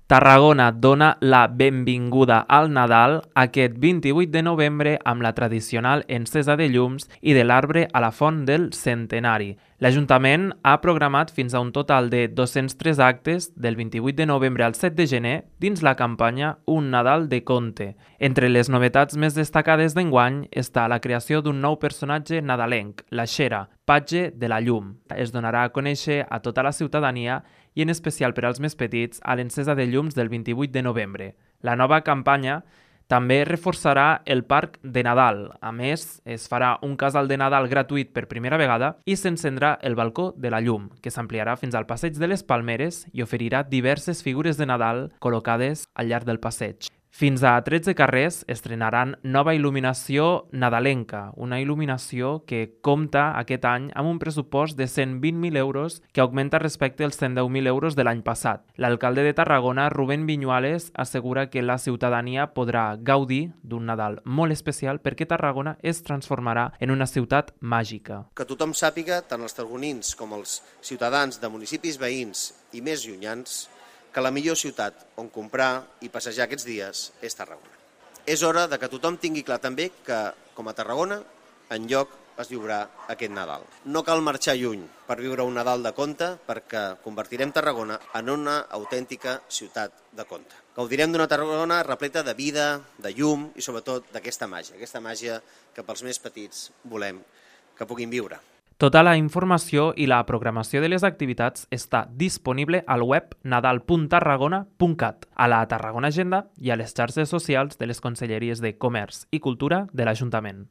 Tarragona dona la benvinguda al Nadal aquest 28 de novembre amb la tradicional encesa de llums i de l'arbre a la Font del Centenari. L'Ajuntament ha programat fins a un total de 203 actes del 28 de novembre al 7 de gener dins la campanya Un Nadal de Conte. Entre les novetats més destacades d'enguany està la creació d'un nou personatge nadalenc, la Xera, patge de la llum. Es donarà a conèixer a tota la ciutadania i en especial per als més petits a l'encesa de llums del 28 de novembre. La nova campanya també reforçarà el Parc de Nadal. A més, es farà un casal de Nadal gratuït per primera vegada i s'encendrà el balcó de la llum, que s'ampliarà fins al passeig de les Palmeres i oferirà diverses figures de Nadal col·locades al llarg del passeig. Fins a 13 carrers estrenaran nova il·luminació nadalenca, una il·luminació que compta aquest any amb un pressupost de 120.000 euros que augmenta respecte als 110.000 euros de l'any passat. L'alcalde de Tarragona, Rubén Viñuales, assegura que la ciutadania podrà gaudir d'un Nadal molt especial perquè Tarragona es transformarà en una ciutat màgica. Que tothom sàpiga, tant els tarragonins com els ciutadans de municipis veïns i més llunyans, que la millor ciutat on comprar i passejar aquests dies és Tarragona. És hora de que tothom tingui clar també que, com a Tarragona, enlloc es viurà aquest Nadal. No cal marxar lluny per viure un Nadal de conte perquè convertirem Tarragona en una autèntica ciutat de conte. Gaudirem d'una Tarragona repleta de vida, de llum i sobretot d'aquesta màgia que pels més petits volem que puguin viure. Tota la informació i la programació de les activitats està disponible al web nadal.tarragona.cat, a la Tarragona Agenda i a les xarxes socials de les Conselleries de Comerç i Cultura de l'Ajuntament.